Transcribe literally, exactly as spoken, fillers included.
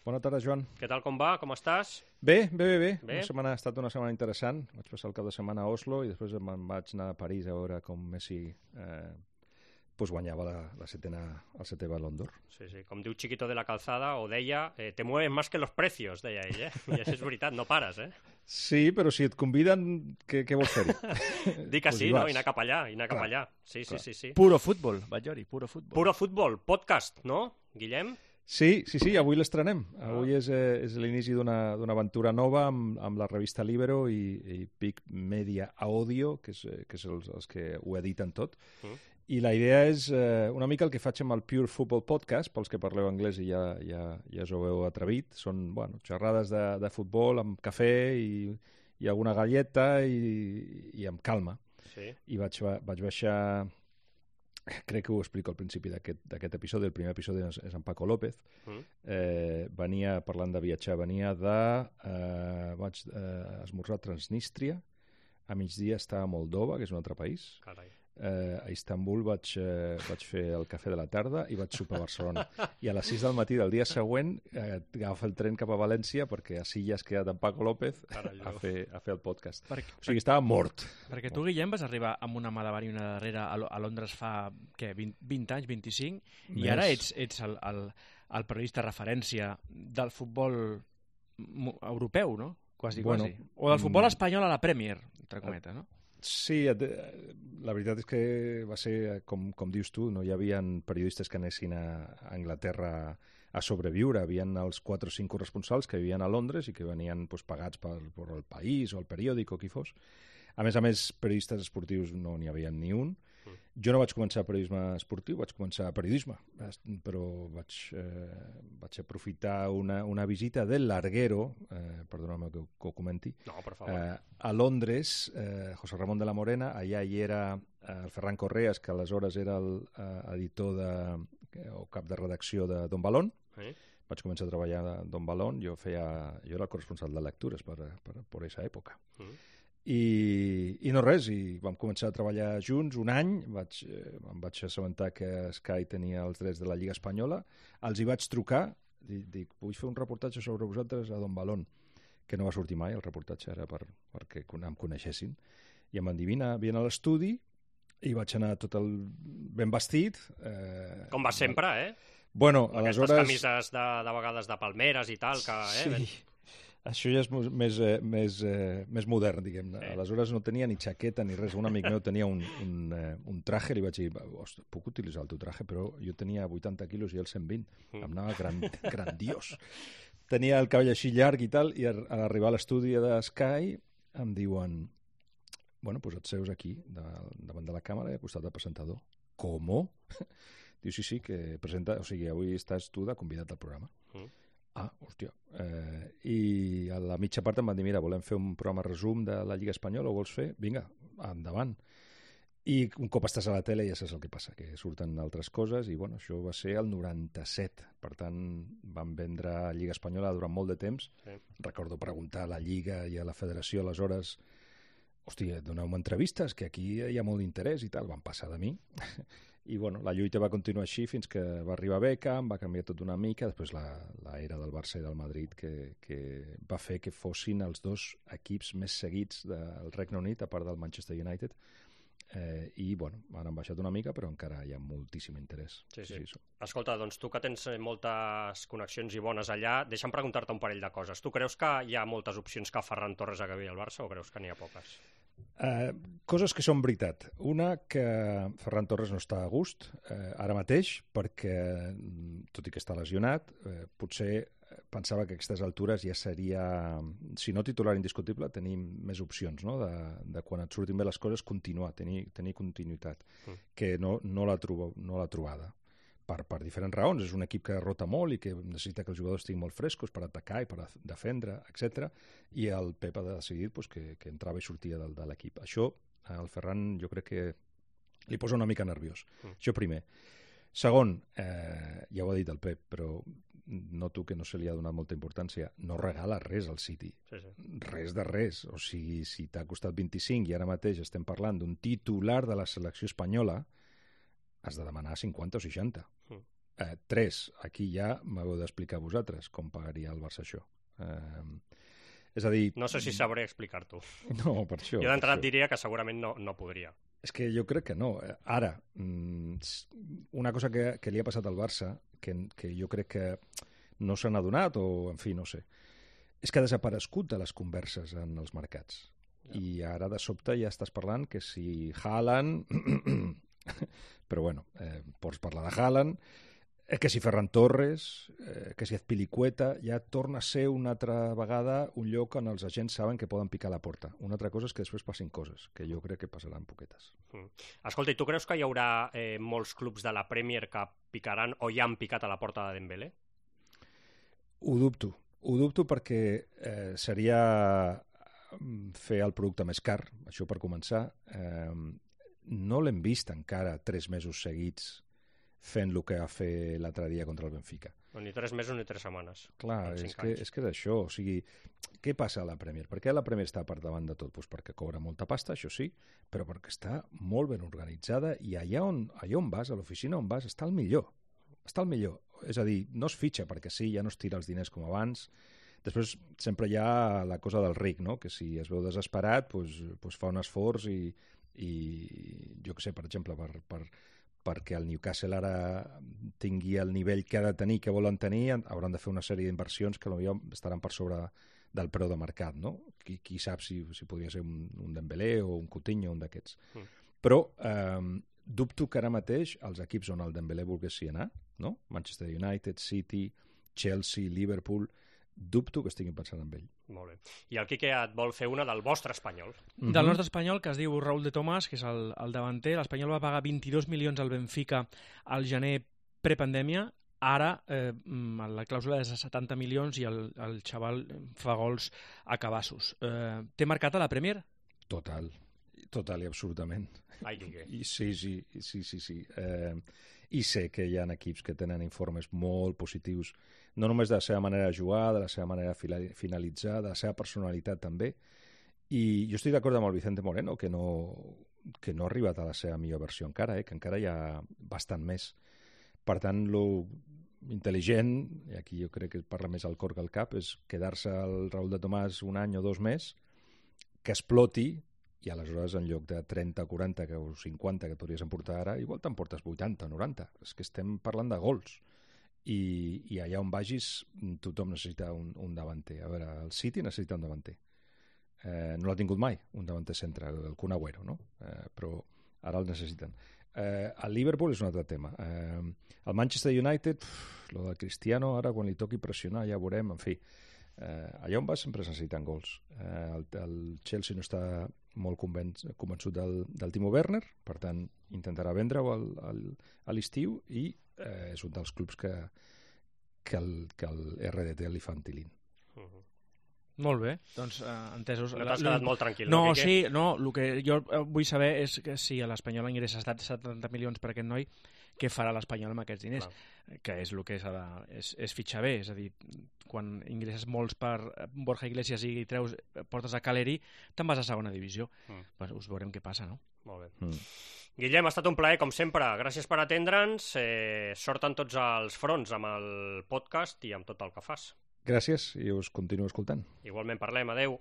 Bona tarda, Joan. Què tal, com va? Com estàs? Bé, bé, bé, bé. Bé? Una setmana, ha estat una setmana interessant. Vaig passar el cap de setmana a Oslo i després me'n vaig anar a París a veure com Messi eh, pues guanyava la, la setena, el setè Ballon d'Or. Sí, sí, com diu Chiquito de la Calzada, o deia, eh, te mueves más que los precios, deia ell, eh? I això és veritat, no pares, eh? Sí, però si et conviden, què, què vols fer-hi? Dic que Pues sí, hi no? vas. I anar cap allà, i anar cap Clar, allà. Sí, sí, clar. sí, sí. Puro futbol, vaig dir, puro futbol. Puro futbol, podcast, no, Guillem? Sí, sí, sí, avui l'estrenem. Avui és, eh, és l'inici d'una d'una aventura nova amb, amb la revista Libero i, i Pic Media Audio, que és, eh, que és els, els que ho editen tot. Mm. I la idea és eh, una mica el que faig amb el Pure Football Podcast, pels que parleu anglès i ja, ja, ja us ho heu atrevit. Són bueno, xerrades de, de futbol amb cafè i, i alguna galleta i, i amb calma. Sí. I vaig, vaig baixar... Crec que ho explico al principi d'aquest episodi. El primer episodi és, és en Paco López. Mm. Eh, venia, parlant de viatjar, venia de... Eh, vaig eh, esmorzar a Transnistria, a migdia estava a Moldova, que és un altre país. Carai. Eh, a Istanbul vaig, eh, vaig fer el cafè de la tarda i vaig sopar a Barcelona. I a les sis del matí del dia següent eh, agafa el tren cap a València perquè a Silla has quedat amb Paco López a fer, a fer el podcast. Perquè, O sigui, estava mort. perquè tu, Guillem, vas arribar amb una malabar i una darrere a, Lo- a Londres fa, què, vint, vint anys, vint-i-cinc, i Més. ara ets, ets el, el, el periodista referència del futbol mo- europeu, no? Quasi, Bueno, quasi. O del futbol mm. espanyol a la Premier, entre cometes, no? Sí, et- la veritat és que va ser, com, com dius tu, no hi havia periodistes que anessin a, a Anglaterra a sobreviure. Havien els quatre o cinc corresponsals que vivien a Londres i que venien pues, pagats per, per el País o el periòdic o qui fos. A més a més, periodistes esportius no n'hi havia ni un. Jo no vaig començar periodisme esportiu, vaig començar periodisme, però vaig, eh, vaig aprofitar una, una visita del Larguero, eh, perdona'm que, ho- que ho comenti, No, per favor. eh, a Londres, eh, José Ramón de la Morena, allà hi era eh, el Ferran Correas, que aleshores era el eh, editor de, o cap de redacció de Don Balón. Eh? Vaig començar a treballar a Don Balón, jo, feia, jo era el corresponsal de lectures per, per, per aquesta època. Mm. I, i no res, i vam començar a treballar junts un any, vaig, eh, em vaig assabentar que Sky tenia els drets de la Lliga Espanyola, els hi vaig trucar, dic, dic vull fer un reportatge sobre vosaltres a Don Balón, que no va sortir mai, el reportatge era per, perquè em coneixessin, i em van dir, vine, vine a l'estudi, i vaig anar tot el ben vestit. Eh, Com va sempre, eh? Bueno, Amb aquestes aleshores... camises de, de vegades de palmeres i tal, que... Eh? Sí. ben- Això ja és mo- més, eh, més, eh, més modern, diguem-ne. Sí. Aleshores no tenia ni xaqueta ni res. Un amic meu tenia un, un, eh, un traje, li vaig dir, "Ostres, puc utilitzar el teu traje?" Però jo tenia vuitanta quilos i el cent vint. Mm. Em anava gran, grandiós. Tenia el cabell així llarg i tal, i a, a arribar a l'estudi de Sky em diuen, bueno, pues et seus aquí, de, davant de la càmera i al costat del presentador. Com? Diu, sí, sí, que presenta... O sigui, avui estàs tu de convidat al programa. Mm. Ah, hòstia. Eh, I a la mitja part em van dir, mira, volem fer un programa resum de la Lliga Espanyola, ho vols fer? Vinga, endavant. I un cop estàs a la tele ja saps el que passa, que surten altres coses, i bueno, això va ser el noranta-set. Per tant, van vendre Lliga Espanyola durant molt de temps. Sí. Recordo preguntar a la Lliga i a la Federació aleshores, hòstia, doneu-me entrevistes, que aquí hi ha molt d'interès i tal. Van passar de mi. I bueno, la lluita va continuar així fins que va arribar Beckham, va canviar tot una mica, després la, la era del Barça i del Madrid que, que va fer que fossin els dos equips més seguits del Regne Unit, a part del Manchester United, eh, i bueno, han baixat una mica, però encara hi ha moltíssim interès. Sí, sí. sí. Escolta, doncs tu que tens eh, moltes connexions i bones allà, deixa'm preguntar-te un parell de coses. Tu creus que hi ha moltes opcions que Ferran Torres acabi al Barça o creus que n'hi ha poques? Uh, coses que són veritat. Una, que Ferran Torres no està a gust uh, ara mateix, perquè, tot i que està lesionat, uh, potser pensava que a aquestes altures ja seria, si no titular indiscutible, tenir més opcions, no? de, de quan et surtin bé les coses, continuar, tenir, tenir continuïtat, Mm. que no, no l'ha trobo, no l'ha trobada. Per, per diferents raons. És un equip que rota molt i que necessita que els jugadors estiguin molt frescos per atacar i per defendre, etcètera. I el Pep ha decidit pues, que, que entrava i sortia del, de l'equip. Això, al Ferran, jo crec que li posa una mica nerviós. Mm. Això primer. Segon, eh, ja ho ha dit el Pep, però noto que no se li ha donat molta importància. No regala res al City. Sí, sí. Res de res. O sigui, si t'ha costat vint-i-cinc i ara mateix estem parlant d'un titular de la selecció espanyola, has de demanar cinquanta o seixanta. Mm. Eh, tres, aquí ja m'heu d'explicar vosaltres com pagaria el Barça això. Eh, és a dir... No sé si sabré explicar-t'ho. No, per això. Jo d'entrada et diria que segurament no, no podria. És que jo crec que no. Ara, una cosa que, que li ha passat al Barça, que, que jo crec que no s'han adonat, o, en fi, no sé, és que ha desaparegut de les converses en els mercats. Ja. I ara, de sobte, ja estàs parlant que si Haaland... però, bueno, eh, pots parlar de Haaland, eh, que si Ferran Torres, eh, que si Azpilicueta, ja torna a ser una altra vegada un lloc on els agents saben que poden picar la porta. Una altra cosa és que després passin coses, que jo crec que passaran poquetes. Mm. Escolta, i tu creus que hi haurà eh, molts clubs de la Premier que picaran o ja han picat a la porta de Dembélé? Ho dubto. Ho dubto perquè eh, seria fer el producte més car, això per començar. Eh, no l'hem vist encara tres mesos seguits fent el que va fer l'altre dia contra el Benfica. No, ni tres mesos ni tres setmanes. Clar, és que, és que és això. O sigui, què passa a la Premier? Per què la Premier està per davant de tot? Pues perquè cobra molta pasta, això sí, però perquè està molt ben organitzada i allà on, allà on vas, a l'oficina on vas, està el millor. Està el millor. És a dir, no es fitxa perquè sí, ja no es tira els diners com abans. Després sempre hi ha la cosa del ric, no? Que si es veu desesperat, pues, pues fa un esforç i, i jo què sé, per exemple, per... per perquè el Newcastle ara tingui el nivell que ha de tenir, que volen tenir, hauran de fer una sèrie d'inversions que potser estaran per sobre del preu de mercat, no? Qui, qui sap si, si podria ser un, un Dembélé o un Coutinho, un d'aquests. Mm. Però eh, dubto que ara mateix els equips on el Dembélé volguessi anar, no? Manchester United, City, Chelsea, Liverpool, dubto que estiguin pensant en ell. Molt bé. I el Quique et vol fer una del vostre espanyol. Mm-hmm. Del nostre espanyol, que es diu Raúl de Tomàs, que és el, el davanter. L'Espanyol va pagar vint-i-dos milions al Benfica al gener prepandèmia. Ara eh, la clàusula és de setanta milions i el, el xaval fa gols a cabassos. Eh, té marcat a la Premier? Total. Total i absolutament. Ai, Quique. I, sí, sí, sí, sí, sí. Eh, I sé que hi ha equips que tenen informes molt positius, no només de la seva manera de jugar, de la seva manera de finalitzar, de la seva personalitat també. I jo estic d'acord amb el Vicente Moreno, que no, que no ha arribat a la seva millor versió encara, eh? Que encara hi ha bastant més. Per tant, lo intel·ligent, i aquí jo crec que parla més al cor que al cap, és quedar-se al Raúl de Tomàs un any o dos més, que exploti, i aleshores en lloc de trenta, quaranta o cinquanta que podries emportar ara, igual t'emportes vuitanta, noranta. És que estem parlant de gols. I, i allà on vagis tothom necessita un, un davanter. A veure, el City necessita un davanter. Eh, no l'ha tingut mai, un davanter centre, el Kun Agüero, no? Eh, però ara el necessiten. Eh, el Liverpool és un altre tema. Eh, el Manchester United, pff, lo del Cristiano, ara quan li toqui pressionar ja veurem, en fi. Eh, allà on vas sempre es necessiten gols. Eh, el, el Chelsea no està molt convenç, convençut del, del Timo Werner, per tant intentarà vendre-ho al, al, a l'estiu i eh, és un dels clubs que, que, el, que el R D T li fa entilint. Uh-huh. Molt bé, doncs eh, entesos. No t'has quedat molt tranquil, no? No, sí, no, el que jo vull saber és que si l'Espanyol ingressa setanta milions per aquest noi, què farà l'Espanyol amb aquests diners? Clar. Que és el que s'ha de... És, és fitxar bé, és a dir, quan ingresses molts per Borja Iglesias i treus, portes a Caleri, te'n vas a segona divisió. Mm. Pues us veurem què passa, no? Molt bé. Mm. Guillem, ha estat un plaer, com sempre. Gràcies per atendre'ns. Eh, sort en tots els fronts amb el podcast i amb tot el que fas. Gràcies i us continuo escoltant. Igualment, parlem. Adeu.